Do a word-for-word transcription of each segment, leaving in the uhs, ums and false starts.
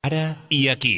Ara i aquí.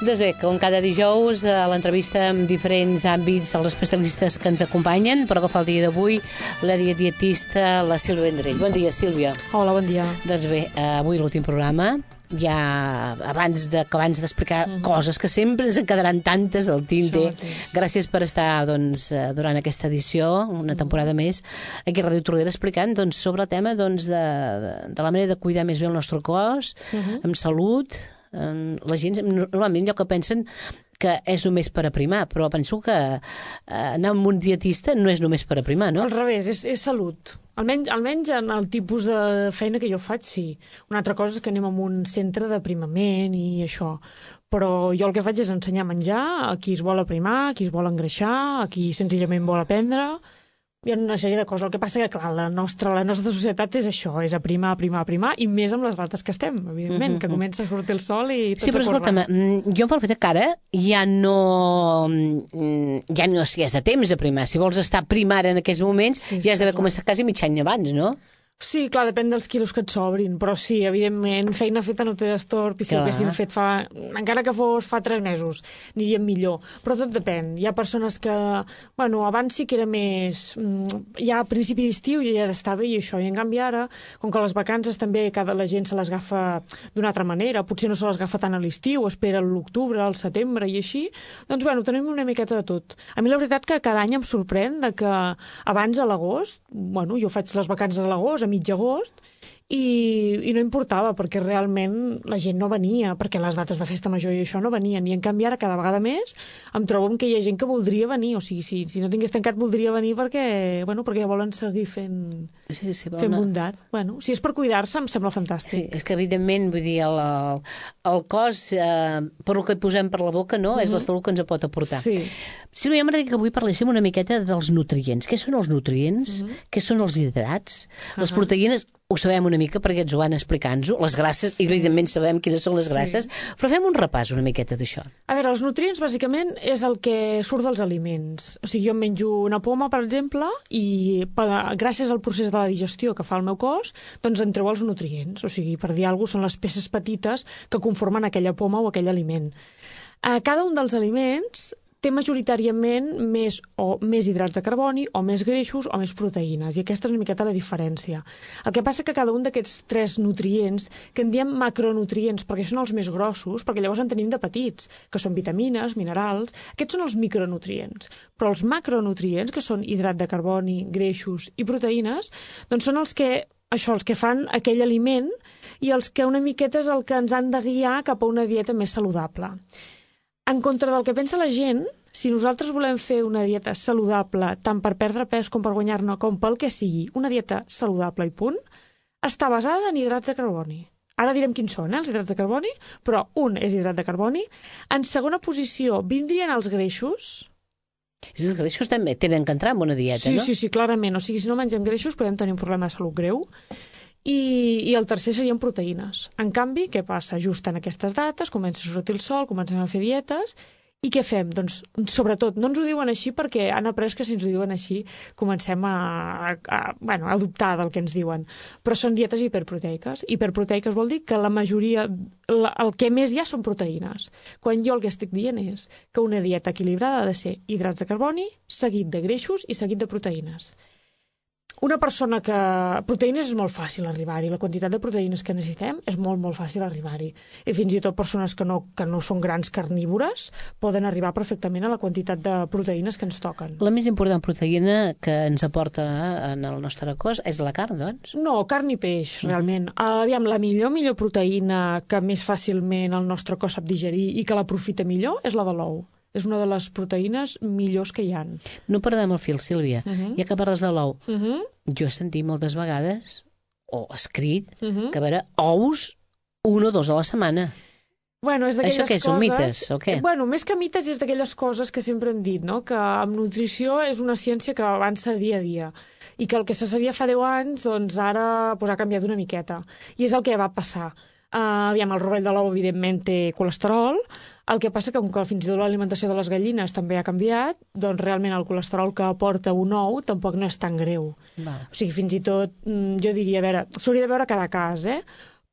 Doncs bé, com cada dijous, a l'entrevista amb diferents àmbits dels especialistes que ens acompanyen, però que fa el dia d'avui, la dietista, la Sílvia Vendrell. Bon dia, Sílvia. Hola, bon dia. Doncs bé, avui l'últim programa, ja abans de, abans d'explicar mm. coses que sempre ens en quedaran tantes del tinte. Gràcies per estar doncs, durant aquesta edició, una temporada mm. més, aquí a Ràdio Tordera explicant doncs, sobre el tema doncs, de, de, de la manera de cuidar més bé el nostre cos, mm-hmm. amb salut. La gent normalment allò que pensen que és només per aprimar, però penso que anar amb un dietista no és només per aprimar, no? Al revés, és, és salut. Almenys, almenys en el tipus de feina que jo faig, sí. Una altra cosa és que anem a un centre d'aprimament i això. Però jo el que faig és ensenyar a menjar a qui es vol aprimar, a qui es vol engreixar, a qui senzillament vol aprendre. Hi ha una sèrie de coses. El que passa que, clar, la nostra, la nostra societat és això, és aprimar, aprimar, aprimar, i més amb les dates que estem, evidentment, mm-hmm. que comença a sortir el sol i tot sí, però escolta'm, jo em fa el fet que ara ja no ja no si és a temps aprimar. Si vols estar primant en aquests moments, sí, ja has d'haver començat quasi mig any abans, no? Sí, clar, depèn dels quilos que et sobrin, però sí, evidentment, feina feta no té destorb, i si ho haguéssim fet fa... encara que fos fa tres mesos, aniríem millor. Però tot depèn. Hi ha persones que... Bueno, abans sí que era més... Ja a principi d'estiu ja estava i això, i en canvi ara, com que les vacances també cada la gent se les agafa d'una altra manera, potser no se les agafa tant a l'estiu, espera l'octubre, al setembre i així, doncs, bueno, tenim una miqueta de tot. A mi la veritat que cada any em sorprèn de que abans a l'agost, bueno, jo faig les vacances a l'agost, mig agost, i, i no importava, perquè realment la gent no venia, perquè les dates de festa major i això no venien, i en canvi ara cada vegada més em trobo que hi ha gent que voldria venir, o sigui, si, si no tingués tancat voldria venir perquè, bueno, perquè ja volen seguir fent, sí, sí, fent bondat. Bueno, si és per cuidar-se em sembla fantàstic. Sí, és que evidentment, vull dir, el, el, el cos, eh, per el que et posem per la boca, no? Mm-hmm. És la salut que ens pot aportar. Sí. Sílvia, m'agradaria que avui parléssim una miqueta dels nutrients. Què són els nutrients? Mm-hmm. Què són els hidrats? Uh-huh. Les proteïnes... Ho sabem una mica perquè ens ho van explicant-nos, les grasses, sí. Evidentment sabem quines són les grasses, sí. Però fem un repàs una miqueta d'això. A veure, els nutrients bàsicament és el que surt dels aliments. O sigui, jo em menjo una poma, per exemple, i per, gràcies al procés de la digestió que fa el meu cos, doncs en treu els nutrients. O sigui, per dir alguna cosa, són les peces petites que conformen aquella poma o aquell aliment. A cada un dels aliments té majoritàriament més o més hidrats de carboni, o més greixos, o més proteïnes, i aquesta és una miqueta la diferència. El que passa que cada un d'aquests tres nutrients, que en diem macronutrients, perquè són els més grossos, perquè llavors en tenim de petits, que són vitamines, minerals, aquests són els micronutrients. Però els macronutrients, que són hidrat de carboni, greixos i proteïnes, doncs són els que, això, els que fan aquell aliment i els que una miqueta és el que ens han de guiar cap a una dieta més saludable. En contra del que pensa la gent, si nosaltres volem fer una dieta saludable, tant per perdre pes com per guanyar-ne, com pel que sigui, una dieta saludable i punt, està basada en hidrats de carboni. Ara direm quins són, eh, els hidrats de carboni, però un és hidrat de carboni. En segona posició vindrien els greixos. Els greixos també tenen que entrar en una dieta, sí, no? Sí, sí, clarament. O sigui, si no mengem greixos podem tenir un problema de salut greu. I, i el tercer serien proteïnes. En canvi, què passa? Just en aquestes dates comença a sortir el sol, comencem a fer dietes, i què fem? Doncs, sobretot, no ens ho diuen així perquè han après que si ens ho diuen així comencem a, a, a, bueno, a dubtar del que ens diuen. Però són dietes hiperproteiques. Hiperproteiques vol dir que la majoria, la, el que més hi ha són proteïnes. Quan jo el que estic dient és que una dieta equilibrada ha de ser hidrats de carboni, seguit de greixos i seguit de proteïnes. una persona que... Proteïnes és molt fàcil arribar-hi, la quantitat de proteïnes que necessitem és molt, molt fàcil arribar-hi. I fins i tot persones que no, que no són grans carnívores poden arribar perfectament a la quantitat de proteïnes que ens toquen. La més important proteïna que ens aporta en el nostre cos és la carn, doncs? No, carn i peix, realment. Uh, aviam, la millor, millor proteïna que més fàcilment el nostre cos sap digerir i que l'aprofita millor és la de l'ou. És una de les proteïnes millors que hi ha. No perdem el fil, Sílvia. Uh -huh. Ja que parles de l'ou, uh -huh. jo he sentit moltes vegades, o escrit, uh -huh. que a veure, ous un o dos a la setmana. Bueno, és d'aquelles Això què, coses... són mites, o què? Bueno, més que mites és d'aquelles coses que sempre hem dit, no? Que amb nutrició és una ciència que avança dia a dia i que el que se sabia fa deu anys, doncs ara pues, ha canviat una miqueta. I és el que va passar. Uh, aviam, el rovell de l'ou, evidentment, té colesterol. El que passa que, com que fins i tot l'alimentació de les gallines també ha canviat, doncs realment el colesterol que aporta un ou tampoc no és tan greu. Va. O sigui, fins i tot, jo diria, a veure, s'hauria de veure cada cas, eh?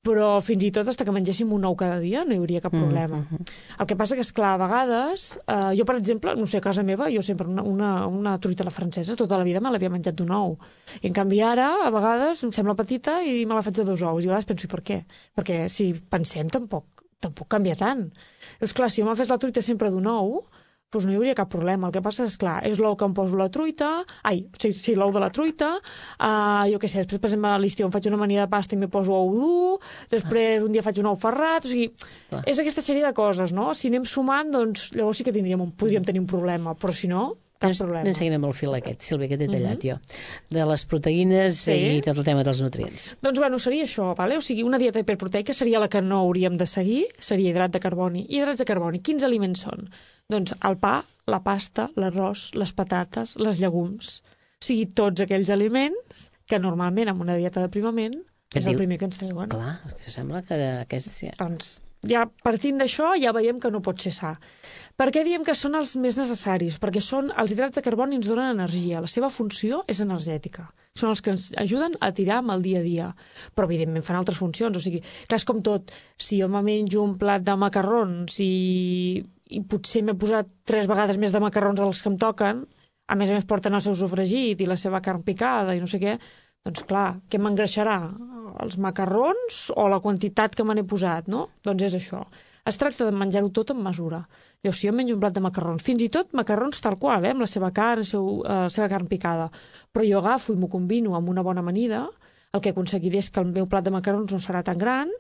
Però fins i tot, fins que mengéssim un ou cada dia, no hi hauria cap problema. Mm -hmm. El que passa que, esclar, a vegades, eh, jo, per exemple, no sé, a casa meva, jo sempre una, una, una truita a la francesa, tota la vida me l'havia menjat d'un ou. I, en canvi, ara, a vegades, em sembla petita i me la faig de dos ous. I a vegades penso, i per què? Perquè, si pensem, tampoc, tampoc canvia tant. És clar, si jo me fes la truita sempre d'un ou, doncs no hi hauria cap problema. El que passa és, clar, és l'ou que em poso la truita, ai, sí, sí l'ou de la truita, uh, jo què sé, després, per exemple, a l'estiu em faig una amanida de pasta i me poso ou dur, després un dia faig un ou ferrat, o sigui, ah. és aquesta sèrie de coses, no? Si anem sumant, doncs llavors sí que tindríem un, podríem tenir un problema, però si no, cap ens, problema. Ens seguirem el fil aquest, Sílvia, que t'he tallat uh -huh. jo, de les proteïnes sí. i tot el tema dels nutrients. Doncs, bueno, seria això, vale? O sigui, una dieta hiperproteica seria la que no hauríem de seguir, seria hidrat de carboni. Hidrats de carboni, quins aliments són? Doncs el pa, la pasta, l'arròs, les patates, les llegums. O sigui, tots aquells aliments que normalment amb una dieta d'aprimament és diu... el primer que ens treuen. Clar, que sembla que aquests... Ja... Doncs ja partint d'això ja veiem que no pot ser sa. Per què diem que són els més necessaris? Perquè són els hidrats de carboni ens donen energia. La seva funció és energètica. Són els que ens ajuden a tirar amb el dia a dia. Però, evidentment, fan altres funcions. O sigui, clar, és com tot. Si jo me menjo un plat de macarrons i, i potser m'he posat tres vegades més de macarrons dels que em toquen, a més a més porten el seu sofregit i la seva carn picada i no sé què, doncs clar, què m'engreixarà? Els macarrons o la quantitat que me n'he posat, no? Doncs és això. Es tracta de menjar-ho tot amb mesura. Llavors, si jo menjo un plat de macarrons, fins i tot macarrons tal qual, eh, amb la seva carn, la seu, uh, seva carn picada, però jo agafo i m'ho combino amb una bona amanida, el que aconseguiré és que el meu plat de macarrons no serà tan gran,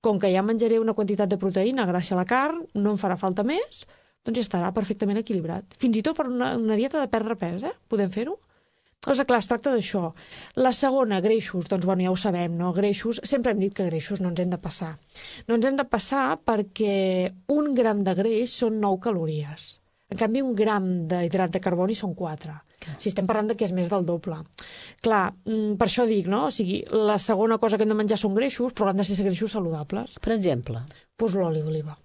com que ja menjaré una quantitat de proteïna gràcies a la carn, no em farà falta més, doncs ja estarà perfectament equilibrat. Fins i tot per una, una dieta de perdre pes, eh? Podem fer-ho? Doncs, clar, es tracta d'això. La segona, greixos, doncs, bueno, ja ho sabem, no? Greixos, sempre hem dit que greixos no ens hem de passar. No ens hem de passar perquè un gram de greix són nou calories. En canvi, un gram d'hidrat de carboni són quatre. Si estem parlant de que és més del doble. Clar, per això dic, no? O sigui, la segona cosa que hem de menjar són greixos, però han de ser greixos saludables. Per exemple? Doncs l'oli d'oliva.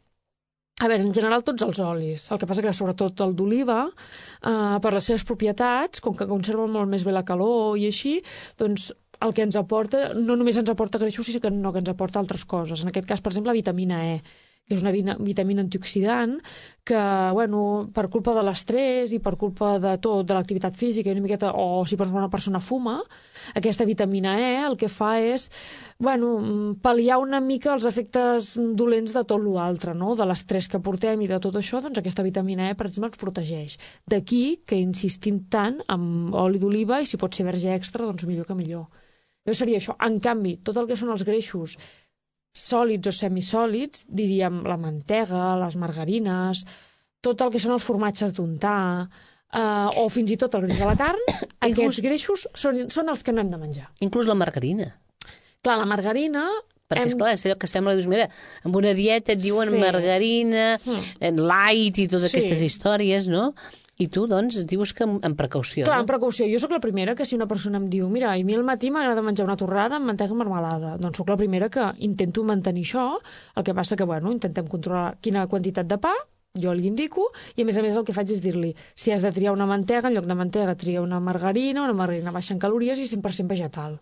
A veure, en general tots els olis. El que passa que sobretot el d'oliva, eh, per les seves propietats, com que conserva molt més bé la calor i així, doncs el que ens aporta, no només ens aporta greixos, sinó que, no, que ens aporta altres coses. En aquest cas, per exemple, la vitamina E, que és una vitamina antioxidant que, bueno, per culpa de l'estrès i per culpa de tot, de l'activitat física i una miqueta, o si una persona fuma, aquesta vitamina E el que fa és, bueno, pal·liar una mica els efectes dolents de tot l'altre, no? De l'estrès que portem i de tot això, doncs aquesta vitamina E, per exemple, ens protegeix. D'aquí que insistim tant amb oli d'oliva i si pot ser verge extra, doncs millor que millor. Jo seria això. En canvi, tot el que són els greixos sòlids o semisòlids, diríem la mantega, les margarines, tot el que són els formatges d'untar, eh, o fins i tot el greix de la carn, aquests greixos són, són els que no hem de menjar. Inclús la margarina. Clar, la margarina... Perquè, hem... esclar, és allò que sembla, dius, mira, amb una dieta et diuen sí. margarina, mm. light i totes sí. aquestes històries, no? I tu, doncs, dius que amb precaució. Clar, no? amb precaució. Jo sóc la primera que si una persona em diu mira, a mi al matí m'agrada menjar una torrada amb mantega i marmelada, doncs sóc la primera que intento mantenir això, el que passa que, bueno, intentem controlar quina quantitat de pa, jo li indico, i a més a més el que faig és dir-li, si has de triar una mantega, en lloc de mantega tria una margarina, una margarina baixa en calories i cent per cent vegetal.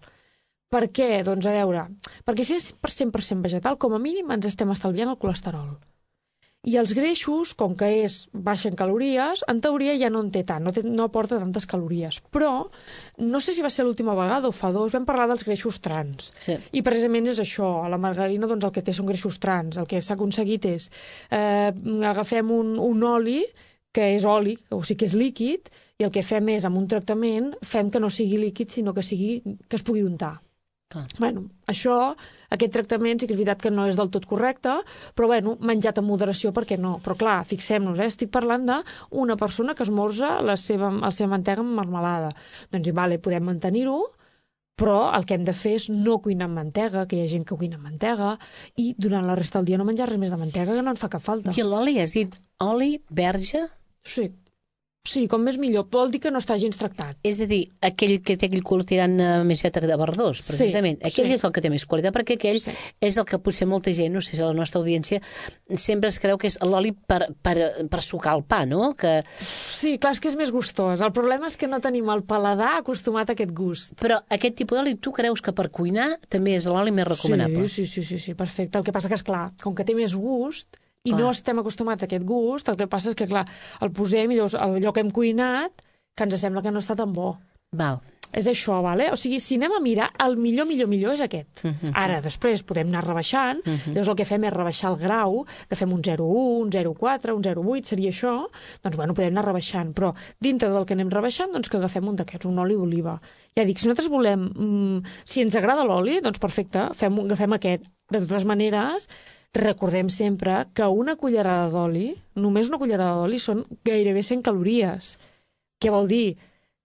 Per què? Doncs a veure, perquè si és cent per cent vegetal, com a mínim ens estem estalviant el colesterol. I els greixos, com que és baixa en calories, en teoria ja no en té tant, no, té, no aporta tantes calories. Però, no sé si va ser l'última vegada o fa dos, vam parlar dels greixos trans. Sí. I precisament és això, a la margarina doncs, el que té són greixos trans. El que s'ha aconseguit és, eh, agafem un, un oli, que és oli, o sigui que és líquid, i el que fem és, amb un tractament, fem que no sigui líquid, sinó que, sigui, que es pugui untar. Ah. Bueno, això, aquest tractament sí que és veritat que no és del tot correcte, però bueno, menjat amb moderació, per què no? Però clar, fixem-nos, eh? Estic parlant d'una persona que esmorza la seva, la seva mantega amb marmelada. Doncs vale, podem mantenir-ho, però el que hem de fer és no cuinar amb mantega, que hi ha gent que cuina amb mantega, i durant la resta del dia no menjar res més de mantega, que no ens fa cap falta. I l'oli, has dit oli, verge? Sí. Sí, com més millor. Vol dir que no està gens tractat. És a dir, aquell que té aquell color tirant uh, més vet de verdós, precisament. Sí, aquell sí. És el que té més qualitat, perquè aquell sí. És el que potser molta gent, no sé si la nostra audiència, sempre es creu que és l'oli per, per, per sucar el pa, no? Que... Sí, clar, és que és més gustós. El problema és que no tenim el paladar acostumat a aquest gust. Però aquest tipus d'oli, tu creus que per cuinar també és l'oli més recomanable? Sí, sí, sí, sí, sí, perfecte. El que passa que, és clar, com que té més gust... i clar. No estem acostumats a aquest gust, el que passa és que, clar, el posem i llavors allò que hem cuinat, que ens sembla que no està tan bo. Val. És això, vale? O sigui, si anem a mirar, el millor, millor, millor és aquest. Uh -huh. Ara, després, podem anar rebaixant, uh -huh. llavors el que fem és rebaixar el grau, que fem un zero coma u, un zero coma quatre, un zero coma vuit, seria això, doncs, bueno, podem anar rebaixant, però dintre del que anem rebaixant, doncs que agafem un d'aquests, un oli d'oliva. Ja dic, si nosaltres volem, mm, si ens agrada l'oli, doncs perfecte, fem, agafem aquest. De totes maneres, recordem sempre que una cullerada d'oli, només una cullerada d'oli, són gairebé cent calories. Què vol dir?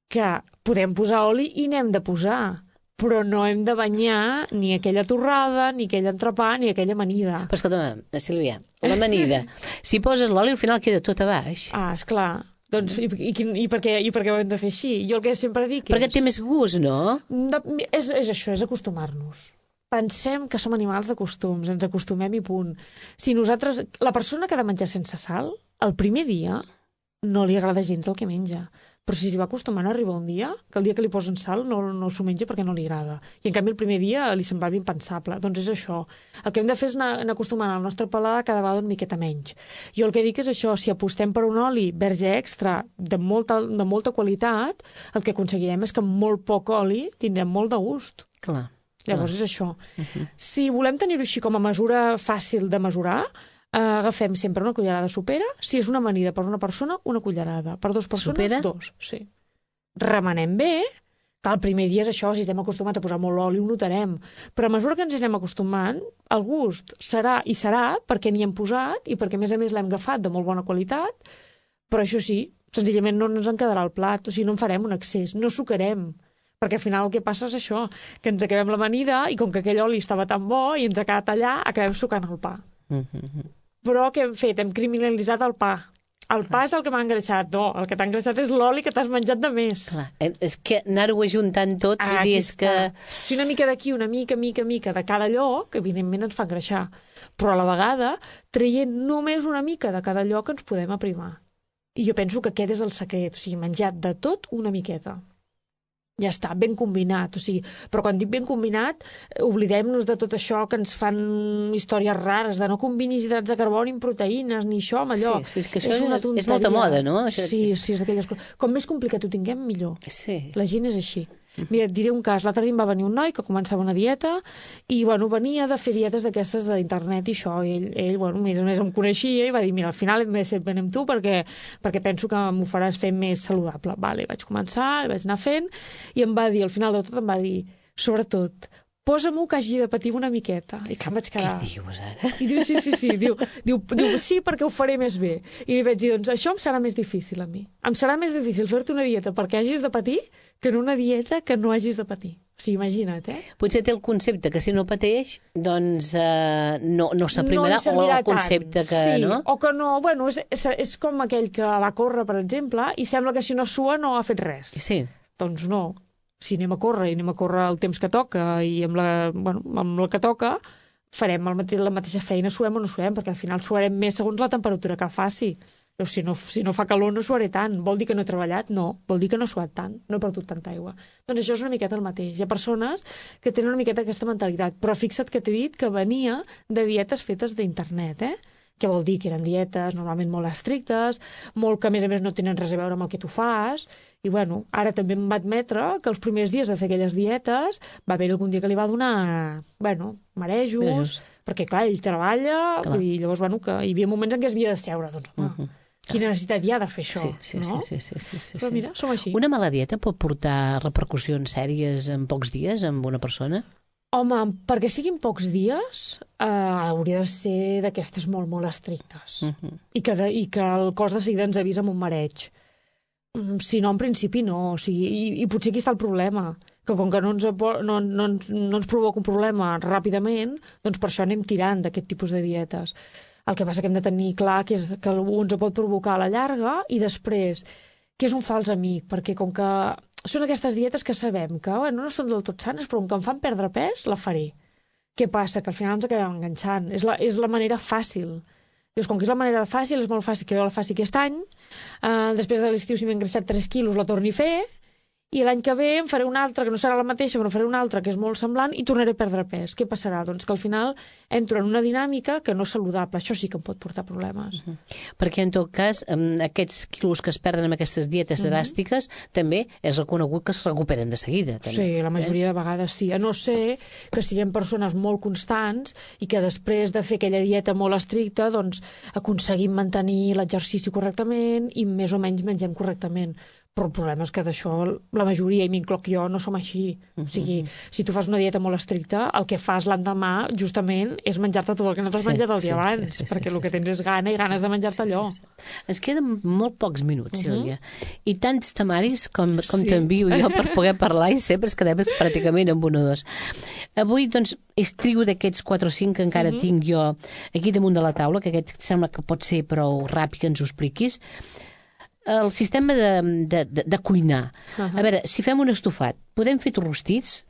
Que podem posar oli i n'hem de posar, però no hem de banyar ni aquella torrada, ni aquell entrepà, ni aquella amanida. Però escolta'm, Sílvia, l'amanida, si poses l'oli al final queda tot a baix. Ah, esclar. Doncs, i, i, i, per què, I per què ho hem de fer així? Jo el que sempre dic és... Perquè té més gust, no? De, és, és això, és acostumar-nos. Pensem que som animals de costums, ens acostumem i punt. Si nosaltres... La persona que ha de menjar sense sal, el primer dia no li agrada gens el que menja. Però si s'hi va acostumant, arriba un dia que el dia que li posen sal no, no s'ho menja perquè no li agrada. I en canvi el primer dia li semblava impensable. Doncs és això. El que hem de fer és anar, anar acostumant el nostre paladar cada vegada una miqueta menys. Jo el que dic és això, si apostem per un oli verge extra de molta, de molta qualitat, el que aconseguirem és que amb molt poc oli tindrem molt de gust. Clar. Llavors és això. Uh-huh. Si volem tenir-ho així com a mesura fàcil de mesurar, eh, agafem sempre una cullerada sopera. Si és una amanida per una persona, una cullerada. Per dues persones, sopera? dos. Sí. Remenem bé. Clar, el primer dia és això, si estem acostumats a posar molt oli, ho notarem. Però a mesura que ens anem acostumant, el gust serà i serà perquè n'hi hem posat i perquè, a més a més, l'hem agafat de molt bona qualitat. Però això sí, senzillament no ens en quedarà el plat. O sigui, no en farem un excés, no sucarem. Perquè al final el que passa és això, que ens acabem l'amanida i com que aquell oli estava tan bo i ens ha quedat allà, acabem sucant el pa. Mm-hmm. Però què hem fet? Hem criminalitzat el pa. El pa és el que m'ha engreixat. No, el que t'ha engreixat és l'oli que t'has menjat de més. Clar, és que anar-ho ajuntant tot, ah, vull dir, és que... Si una mica d'aquí, una mica, mica, mica de cada lloc, evidentment ens fa engreixar. Però a la vegada, traient només una mica de cada lloc, ens podem aprimar. I jo penso que aquest és el secret, o sigui, menjat de tot una miqueta. Ja està, ben combinat, o sigui, però quan dic ben combinat, oblidem-nos de tot això que ens fan històries rares, de no combinis hidrats de carboni amb proteïnes, ni això amb allò. Sí, sí, és que això és, una és, és molta moda, no? Això sí, sí, és d'aquelles coses. Com més complicat ho tinguem, millor. Sí. La gent és així. Mira, et diré un cas. L'altre dia em va venir un noi que començava una dieta i, bueno, venia de fer dietes d'aquestes d'internet i això. I ell, ell, bueno, més o més em coneixia i va dir, mira, al final hem de ser ben amb tu perquè, perquè penso que m'ho faràs fer més saludable. Vale, vaig començar, vaig anar fent i em va dir, al final de tot em va dir, sobretot, posa-m'ho que hagi de patir una miqueta. I que em vaig quedar... Què dius, ara? I diu, sí, sí, sí. Diu, diu, diu, sí, perquè ho faré més bé. I li vaig dir, doncs això em serà més difícil a mi. Em serà més difícil fer-te una dieta perquè hagis de patir que en una dieta que no hagis de patir. O sigui, imagina't, eh? Potser té el concepte que si no pateix, doncs eh, no, no s'aprimarà, no o el concepte que... Sí, no? o que no... Bueno, és, és, és com aquell que va córrer, per exemple, i sembla que si no sua no ha fet res. Sí. Doncs no. Si anem a córrer i anem a córrer el temps que toca i amb la, bueno, amb la que toca, farem el mateix, la mateixa feina, suem o no suem, perquè al final suarem més segons la temperatura que faci. Però si no, si no fa calor no suaré tant. Vol dir que no he treballat? No. Vol dir que no he suat tant. No he perdut tanta aigua. Doncs això és una miqueta el mateix. Hi ha persones que tenen una miqueta aquesta mentalitat. Però fixa't que t'he dit que venia de dietes fetes d'internet, eh? Què vol dir? Que eren dietes normalment molt estrictes, molt que a més a més no tenen res a veure amb el que tu fas, i bueno, ara també em va admetre que els primers dies de fer aquelles dietes va haver algun dia que li va donar, bueno, marejos, marejos. Perquè clar, ell treballa, clar. I llavors, bueno, que hi havia moments en què es havia de seure, doncs, home, uh -huh. quina necessitat hi ha de fer això, sí, sí, no? Sí, sí, sí, sí, Però mira, som així. Una mala dieta pot portar repercussions sèries en pocs dies amb una persona? Home, perquè siguin pocs dies, eh, hauria de ser d'aquestes molt, molt estrictes. Uh -huh. I, que de, I que el cos de seguida ens avisa amb un mareig. Si no, en principi no. O sigui, i, i potser aquí està el problema, que com que no ens, no, no, no ens provoca un problema ràpidament, doncs per això anem tirant d'aquest tipus de dietes. El que passa que hem de tenir clar que, és, que algú ens pot provocar a la llarga i després que és un fals amic, perquè com que són aquestes dietes que sabem que bueno, no són del tot sanes, però com que em fan perdre pes, la faré. Què passa? Que al final ens acabem enganxant. És la, és la manera fàcil. Dius, com que és la manera fàcil, és molt fàcil que jo la faci aquest any, uh, després de l'estiu, si m'he engreixat tres quilos, la torni a fer, i l'any que ve em faré una altra, que no serà la mateixa, però faré una altra que és molt semblant, i tornaré a perdre pes. Què passarà? Doncs que al final entro en una dinàmica que no és saludable. Això sí que em pot portar problemes. Uh -huh. Perquè, en tot cas, aquests quilos que es perden amb aquestes dietes uh -huh. dràstiques, també és reconegut que es recuperen de seguida. També. Sí, la majoria eh? de vegades sí. A no ser que siguem persones molt constants i que després de fer aquella dieta molt estricta, doncs aconseguim mantenir l'exercici correctament i més o menys mengem correctament. Però el problema és que d'això la majoria, i m'incloc jo, no som així. Uh -huh. O sigui, si tu fas una dieta molt estricta, el que fas l'endemà, justament, és menjar-te tot el que no t'has sí, menjat el dia sí, abans, sí, sí, perquè sí, el que tens és gana i ganes sí, de menjar-te sí, allò. Sí, sí. Ens queden molt pocs minuts, uh -huh. Sílvia, i tants temaris com, com sí. t'envio jo per poder parlar i sempre es quedem pràcticament amb un o dos. Avui, doncs, estriu d'aquests quatre o cinc que encara uh -huh. tinc jo aquí damunt de la taula, que aquest sembla que pot ser prou ràpid que ens ho expliquis. El sistema de, de, de, de cuinar. Uh -huh. A veure, si fem un estofat, podem fer rostits,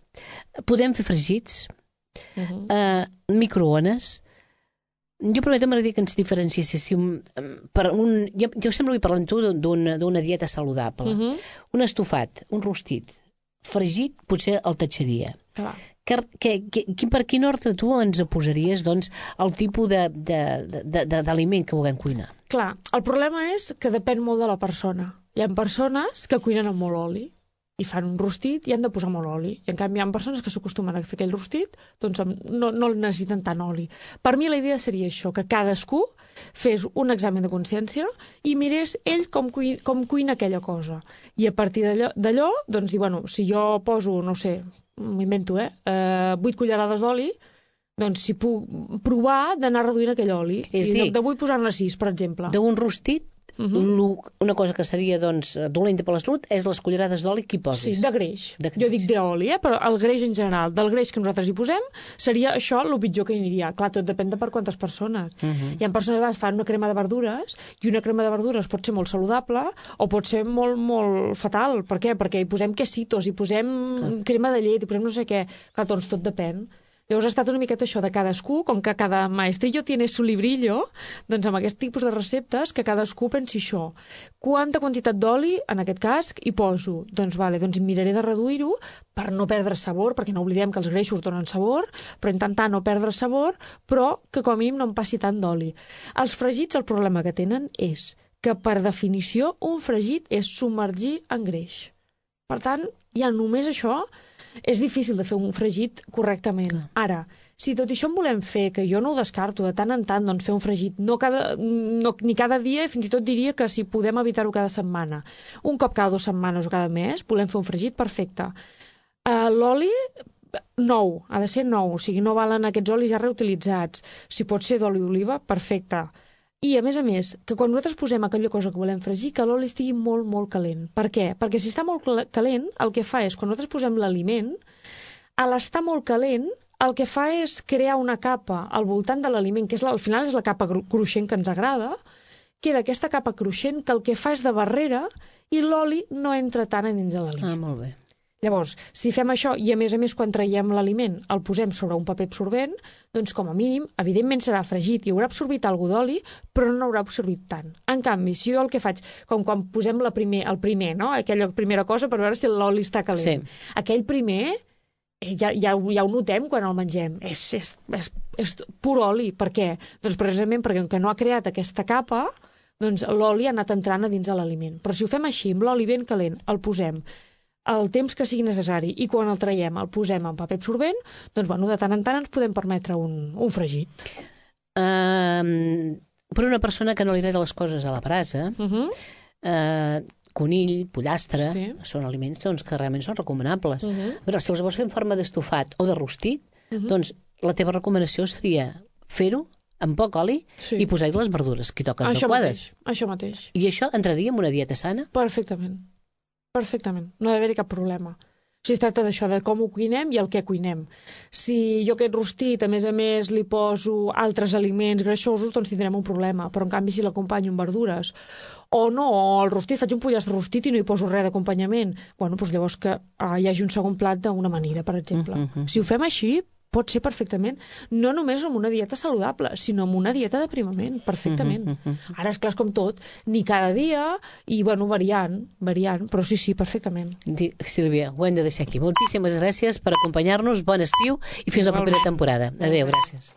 podem fer fregits, uh -huh. uh, microones. Jo prometo m'agradaria que ens diferenciéssim per un... Jo, jo sempre vull parlar amb tu d'una dieta saludable. Uh -huh. Un estofat, un rostit, fregit, potser el tatxaria. Clar. Que, que, que, per quin ordre tu ens posaries doncs, el tipus d'aliment que vulguem cuinar? Clar, el problema és que depèn molt de la persona. Hi ha persones que cuinen amb molt oli i fan un rostit i han de posar molt oli. I en canvi hi ha persones que s'acostumen a fer aquell rostit, doncs no, no necessiten tant oli. Per mi la idea seria això, que cadascú fes un examen de consciència i mirés ell com, cuina, com cuina aquella cosa. I a partir d'allò, doncs dir, bueno, si jo poso, no sé, m'invento, eh, eh, vuit cullerades d'oli, doncs si puc provar d'anar reduint aquell oli. És dir, de vull posar-ne sis, per exemple. D'un rostit, uh -huh. una cosa que seria doncs, dolenta per la salut és les cullerades d'oli que hi posis. Sí, de greix. de greix. Jo dic d'oli, eh? Però el greix en general, del greix que nosaltres hi posem, seria això el pitjor que hi aniria. Clar, tot depèn de per quantes persones. Uh -huh. Hi ha persones que fan una crema de verdures i una crema de verdures pot ser molt saludable o pot ser molt, molt fatal. Per què? Perquè hi posem quesitos, hi posem uh. crema de llet, hi posem no sé què. Clar, doncs tot depèn. Llavors ha estat una miqueta això de cadascú, com que cada maestrillo tiene su librillo, doncs amb aquest tipus de receptes que cadascú pensi això. Quanta quantitat d'oli, en aquest cas, hi poso? Doncs vale, doncs miraré de reduir-ho per no perdre sabor, perquè no oblidem que els greixos donen sabor, però intentar no perdre sabor, però que com a mínim no em passi tant d'oli. Els fregits, el problema que tenen és que, per definició, un fregit és submergir en greix. Per tant, ja només això és difícil de fer un fregit correctament. Ara, si tot això en volem fer, que jo no ho descarto, de tant en tant, doncs fer un fregit, no cada, no, ni cada dia, fins i tot diria que si podem evitar-ho cada setmana. Un cop cada dues setmanes o cada mes, volem fer un fregit perfecte. Uh, L'oli, nou, ha de ser nou, o sigui, no valen aquests olis ja reutilitzats. Si pot ser d'oli d'oliva, perfecte. I, a més a més, que quan nosaltres posem aquella cosa que volem fregir, que l'oli estigui molt, molt calent. Per què? Perquè si està molt calent, el que fa és, quan nosaltres posem l'aliment, a l'estar molt calent, el que fa és crear una capa al voltant de l'aliment, que és, al final és la capa cruixent que ens agrada, queda aquesta capa cruixent que el que fa és de barrera i l'oli no entra tant a dins de l'aliment. Ah, molt bé. Llavors, si fem això i, a més a més, quan traiem l'aliment el posem sobre un paper absorbent, doncs, com a mínim, evidentment serà fregit i haurà absorbit alguna d'oli, però no haurà absorbit tant. En canvi, si jo el que faig, com quan posem la primer, el primer, no? Aquella primera cosa per veure si l'oli està calent. Sí. Aquell primer ja, ja, ja ho notem quan el mengem. És, és, és, és pur oli. Per què? Doncs precisament perquè que no ha creat aquesta capa, doncs l'oli ha anat entrant a dins de l'aliment. Però si ho fem així, amb l'oli ben calent, el posem el temps que sigui necessari i quan el traiem el posem en paper absorbent, doncs bueno, de tant en tant ens podem permetre un, un fregit. Uh, per una persona que no li agrada les coses a la brasa, uh -huh. uh, conill, pollastre, sí. són aliments doncs, que realment són recomanables. Uh -huh. Però si els vols fer en forma d'estofat o de rostit, uh -huh. doncs la teva recomanació seria fer-ho amb poc oli sí. i posar-hi les verdures que toquen això adequades. Mateix, això mateix. I això entraria en una dieta sana? Perfectament. Perfectament. No ha d'haver-hi cap problema. O sigui, es tracta d'això, de com ho cuinem i el que cuinem. Si jo aquest rostit, a més a més, li poso altres aliments greixosos, doncs tindrem un problema. Però, en canvi, si l'acompanyo amb verdures, o no, o el rostit, faig un pollastre rostit i no hi poso res d'acompanyament, bueno, doncs llavors que ah, hi hagi un segon plat d'una amanida, per exemple. Mm -hmm. Si ho fem així, pot ser perfectament, no només amb una dieta saludable, sinó amb una dieta d'aprimament, perfectament. Uh -huh. Ara, és clar, és com tot, ni cada dia, i, bueno, variant, variant, però sí, sí, perfectament. Sílvia, ho hem de deixar aquí. Moltíssimes gràcies per acompanyar-nos, bon estiu i fins a la propera temporada. Adéu, gràcies.